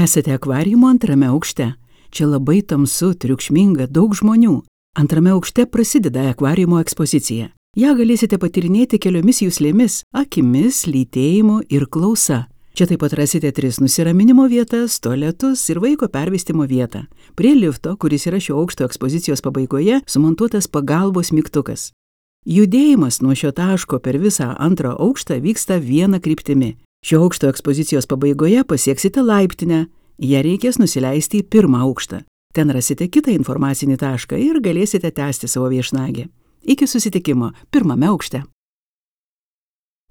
Esate akvariumo antrame aukšte. Čia labai tamsu, triukšminga, daug žmonių. Antrame aukšte prasideda akvariumo ekspozicija. Ja galėsite patyrinėti keliomis juslėmis – akimis, lytėjimu ir klausa. Čia taip pat rasite 3 nusiraminimo vietas, tualetus ir vaiko pervestimo vietą. Prie lifto, kuris yra šio aukšto ekspozicijos pabaigoje, sumontuotas pagalbos mygtukas. Judėjimas nuo šio taško per visą antrą aukštą vyksta viena kryptimi. Šio aukšto ekspozicijos pabaigoje pasieksite laiptinę. Ją reikės nusileisti į 1. aukštą. Ten rasite kitą informacinį tašką ir galėsite tęsti savo viešnagę. Iki susitikimo 1. aukšte.